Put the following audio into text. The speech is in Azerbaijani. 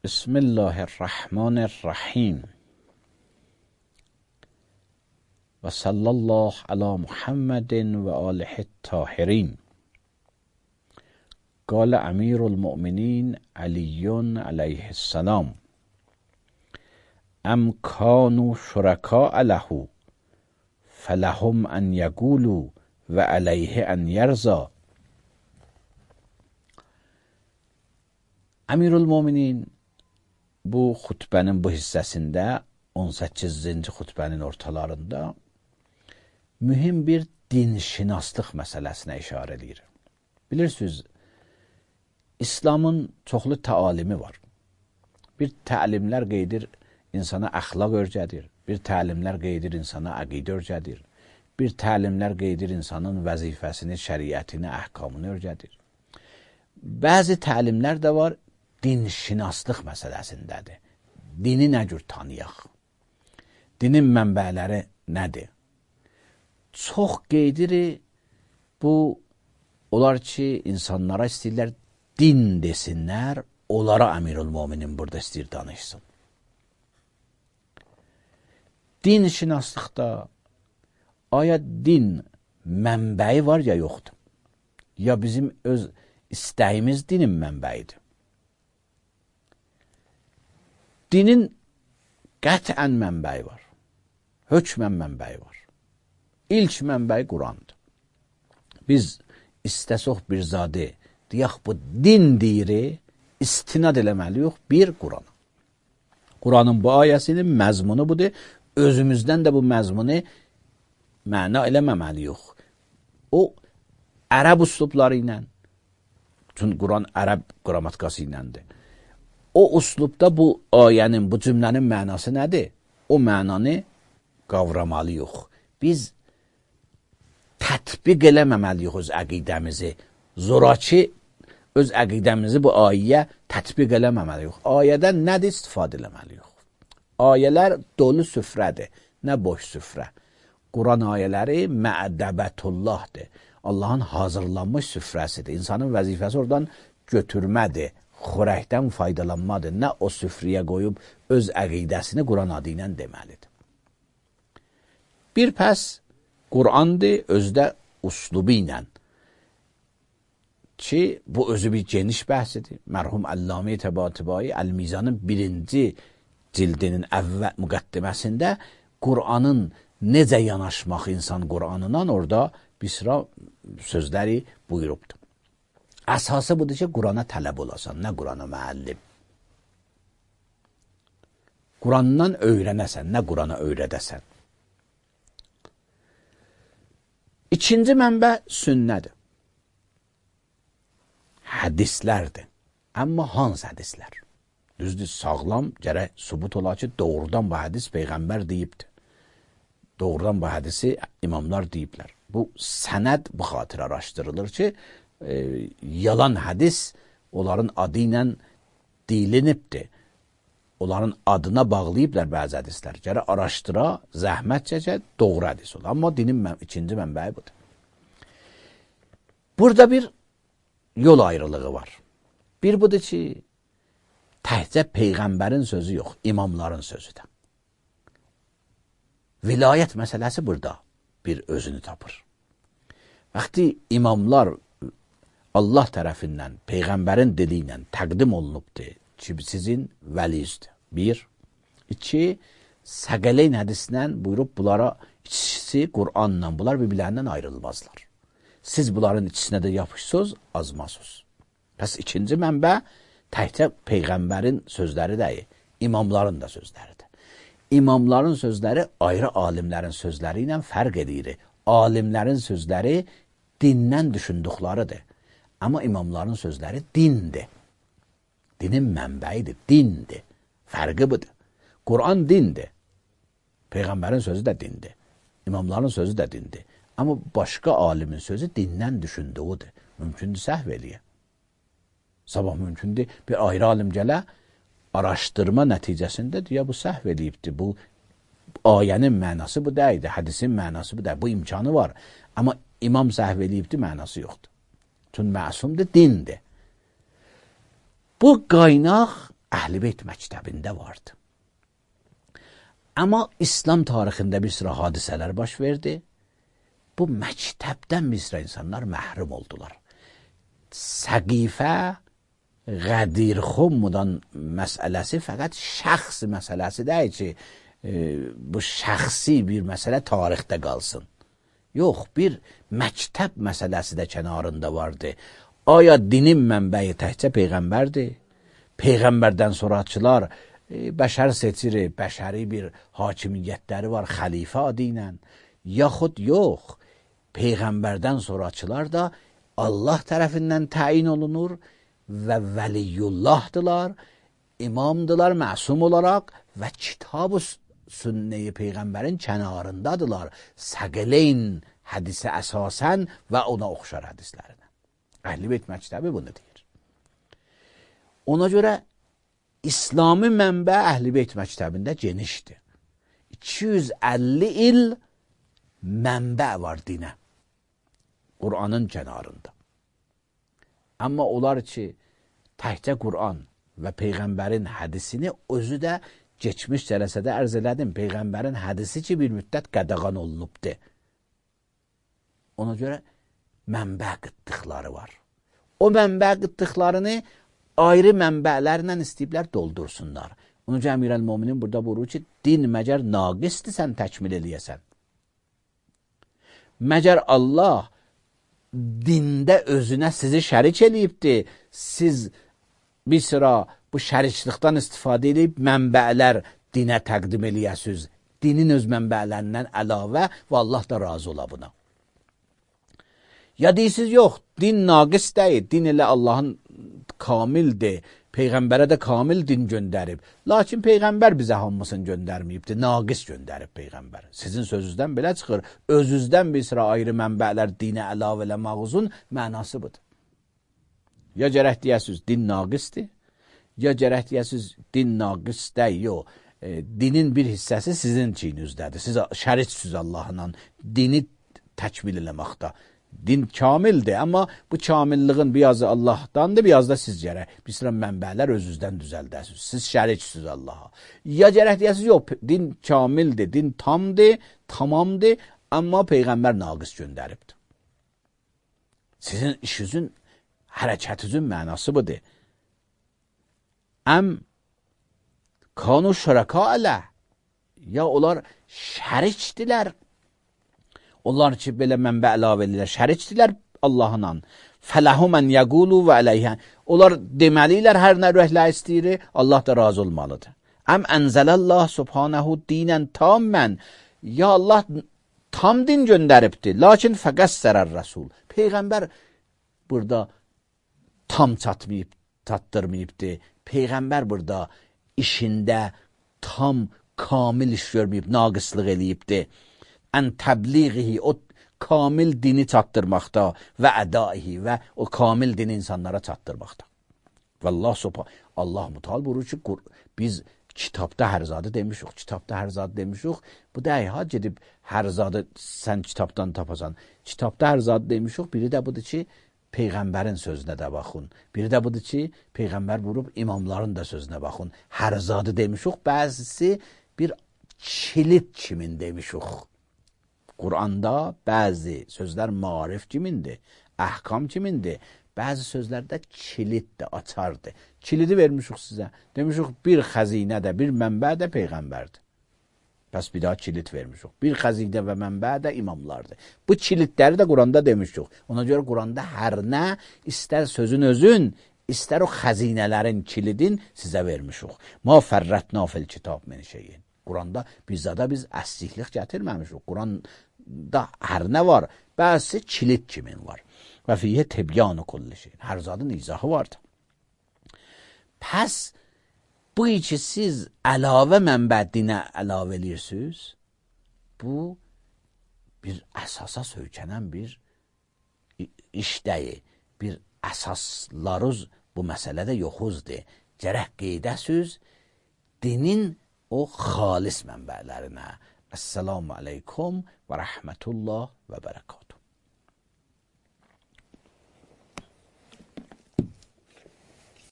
بسم الله الرحمن الرحیم و صلی الله علی محمد و آله الطاهرین. قال امیر المؤمنین علی علیه السلام: ام کانوا شرکاء له فلهم ان یقولوا و علیه ان یرضی. Əmirül-Möminin bu xutbənin bu hissəsində 18-ci xutbənin ortalarında mühüm bir dinşinaslıq məsələsinə işarə edir. Bilirsiniz, İslamın çoxlu təalimi var. Bir təlimlər qeydir, insana əxlaq öyrədir. Bir təlimlər qeydir, insana əqidə öyrədir. Bir təlimlər qeydir, insanın vəzifəsini, şəriətini, əhkamını öyrədir. Bəzi təlimlər də var, dinşinaslıq məsələsindədir. Dini nə cür tanıyaq? Dinin mənbələri nədir? Çox qeydiri bu, onlar ki, insanlara istəyirlər din desinlər, onlara Əmirül-Möminin burada istəyir danışsın. Dinşinaslıqda aya din mənbəyi var ya yoxdur? Ya bizim öz istəyimiz dinin mənbəyidir? Dinin qətən mənbəyi var. Hökmən mənbəyi var. İlk mənbəyi Qurandır. Biz istəsək bir zadı deyək bu din deyir, istinad eləməliyik bir Qurana. Quranın bu ayəsinin məzmunu budur. Özümüzdən də bu məzmunu məna eləməməliyik. O, ərəb üslubları ilə, çünki Quran ərəb qrammatikası iləndir. O üslubda bu ayənin, bu cümlənin mənası nədir? O mənanı qavramalıyıq. Biz tətbiq eləməməliyik öz əqidəmizi. Zoraki öz əqidəmizi bu ayəyə tətbiq eləməməliyik. Ayədən nədir istifadə eləməliyik? Ayələr dolu süfrədir, nə boş süfrə. Quran ayələri mə'dəbətullahdır. Allahın hazırlanmış süfrəsidir. İnsanın vəzifəsi oradan götürmədir. Xörəkdən faydalanmadır. Nə o süfrəyə qoyub öz əqidəsini Quran adı ilə deməlidir. Bir pəs Qurandır özdə uslubu ilə ki, bu özü bir geniş bəhsidir. Mərhum Əllamə Təbatəbai Əl-Mizanın 1-ci cildinin əvvəl müqəddiməsində Quranın necə yanaşmaq insan Quranından orada bir sıra sözləri buyurubdur. Əsası budur ki, Qurana tələb olasan, nə Qurana müəllim. Qurandan öyrənəsən, nə Qurana öyrədəsən. İkinci mənbə sünnədir. Hədislərdir. Amma hansı hədislər? Düzdür, sağlam gərək sübut ola ki, doğrudan bu hədis Peyğəmbər deyibdir. Doğrudan bu hədisi imamlar deyiblər. Bu sənəd bu xatir araşdırılır ki, yalan hədis onların adı ilə deyilinibdir. Onların adına bağlayıblar bəzi hədislər. Gərək araşdıra, zəhmət çəkə, doğru hədis olur. Amma dinin ikinci mənbəyi budur. Burada bir yol ayrılığı var. Bir budur ki, təhcə Peyğəmbərin sözü yox, imamların sözüdür. Vilayət məsələsi burada bir özünü tapır. Vaxtı imamlar Allah tərəfindən, Peyğəmbərin dili ilə təqdim olunubdur ki, sizin vəliyizdir. Bir. İki, Səqələyn hədisindən buyurub bunlara ikisi Qur'anla, bunlar bir-birlərindən ayrılmazlar. Siz bunların ikisinə də yapışsınız, azmazsınız. Pəs ikinci mənbə təkcə Peyğəmbərin sözləri deyil, imamların da sözləridir. İmamların sözləri ayrı alimlərin sözləri ilə fərq edir. Alimlərin sözləri dindən düşündükləridir. Amma imamların sözləri dindir. Dinin mənbəyidir, dindir. Fərqi budur. Quran dindir. Peyğəmbərin sözü də dindir. İmamların sözü də dindir. Amma başqa alimin sözü dindən düşündüyüdür. Mümkündür səhv eləyə. Sabah mümkündür bir ayrı alim gələ, araşdırma nəticəsində deyə bu səhv eləyibdir. Bu ayənin mənası bu deyildir, hədisin mənası bu deyil. Bu imkanı var. Amma imam səhv eləyibdir, mənası yoxdur. Çünki məsumdur, dindir. Bu qaynaq Əhl-i Beyt məktəbində vardı. Amma İslam tarixində bir sıra hadisələr baş verdi. Bu məktəbdən bir sıra insanlar məhrum oldular. Səqifə, Qədirxumdan məsələsi fəqət şəxs məsələsi deyil ki, bu şəxsi bir məsələ tarixdə qalsın. Yox, bir məktəb məsələsi də kənarında vardı. Aya dinin mənbəyi təkcə Peyğəmbərdir? Peyğəmbərdən sonraçılar bəşər seçir, bəşəri bir hakimiyyətləri var, xəlifə adı ilə. Yaxud yox, Peyğəmbərdən sonraçılar da Allah tərəfindən təyin olunur və vəliyullahdılar, imamdılar məsum olaraq və kitab-ı sünneyi Peyğəmbərin kənarındadılar. Səqeleyn hədisi əsasən və ona oxşar hədislərinə. Əhl-i Beyt məktəbi bunu deyir. Ona görə İslami mənbə Əhl-i Beyt məktəbində genişdir. 250 il mənbə var dinə. Qur'anın kənarında. Amma onlar ki, təkcə Qur'an və Peyğəmbərin hədisini özü də geçmiş cələsədə ərz elədim. Peyğəmbərin hədisi ki, bir müddət qədəğan olunubdur. Ona görə mənbə qıtlıqları var. O mənbə qıtlıqlarını ayrı mənbələrlə istəyiblər doldursunlar. Onu ki, Əmirəl-Möminin burada buyurur ki, din məgər naqisdir sən təkmil eləyəsən. Məgər Allah dində özünə sizi şərik eləyibdir. Siz bir sıra bu şəriklikdən istifadə edib mənbələr dinə təqdim eləyəsiniz. Dinin öz mənbələrindən əlavə və Allah da razı ola buna. Ya deyirsiniz, yox, din naqis deyil. Din elə Allahın kamildir. Peyğəmbərə də kamil din göndərib. Lakin Peyğəmbər bizə hamısını göndərməyibdir. Naqis göndərib Peyğəmbər. Sizin sözünüzdən belə çıxır. Özünüzdən bir sıra ayrı mənbələr dinə əlavə eləmağınızın mənası budur. Ya gərək deyəsiniz, din naqisdir. Ya gərək deyəsiniz, din naqis deyil. Yox. Dinin bir hissəsi sizin çiyninizdədir. Siz şəriksiniz Allahla dini təkmil eləməkdə. Din kamildir, amma bu kamilliğin birazı Allahdandır, biraz da siz gərək. Bir sıra mənbələr özünüzdən düzəldəsiniz. Siz şəriksiniz Allaha. Ya gərək deyəsiniz, yox, din kamildir, din tamdır, tamamdır, amma Peyğəmbər naqis göndəribdir. Sizin işinizin, hərəkətinizin mənası budur. Əm kanu şəraka ələ. Ya onlar şərikdilər. Onlar ki, belə mənbə əlavə edirlər, şərikdirlər Allahla. Fələhu mən yəqulu və əleyhən. Onlar deməliylər, hər nə ürəklə istəyir, Allah da razı olmalıdır. Əm ənzələllah subhanəhu dinən tamən. Ya Allah tam din göndəribdir, lakin fəqəssərər rəsul. Peyğəmbər burada tam çatmayıb, çatdırmayıbdır. Peyğəmbər burada işində tam, kamil iş görməyib, naqislıq eləyibdir. Ən təbliğihi, o kamil dini çatdırmaqda və ədaihi və o kamil dini insanlara çatdırmaqda. Və Allah mutal buyurur ki, biz kitabda hər zadı demişik, kitabda hər zadı demişik. Bu deyil, ha, gedib hər zadı sən kitabdan tapasan. Kitabda hər zadı demişik, biri də budur ki, Peyğəmbərin sözünə də baxın. Biri də budur ki, Peyğəmbər vurub imamların da sözünə baxın. Hər zadı demişik, bəzisi bir kilit kimin demişik. Quranda bəzi sözlər marif kimindir, əhkam kimindir, bəzi sözlərdə kiliddir, açardır. Kilidi vermişik sizə. Demişik, bir xəzinə də, bir mənbə də Peyğəmbərdir. Bəs bir daha kilid vermişik. Bir xəzinə və mənbə də imamlardır. Bu kilidləri də Quranda demişik. Ona görə Quranda hər nə, istər sözün özün, istər o xəzinələrin kilidin sizə vermişik. Ma fərrətna fil kitab min şeyin. Quranda biz əsliklik gətirməmişik. Quranda hər nə var? Bəzi kilid kimin var? Və fiyyə tebyanı kulli şeyin. Hər zadın izahı vardır. Pəs bu ki siz əlavə mənbədinə əlavə edirsiniz, bu bir əsasa söykənən bir işdəyi, bir əsaslarız bu məsələdə yoxuzdur. Gərək qeydəsiz dinin o xalis mənbələrinə. Əssalamu aleykum və rəhmətullah və bərəkət.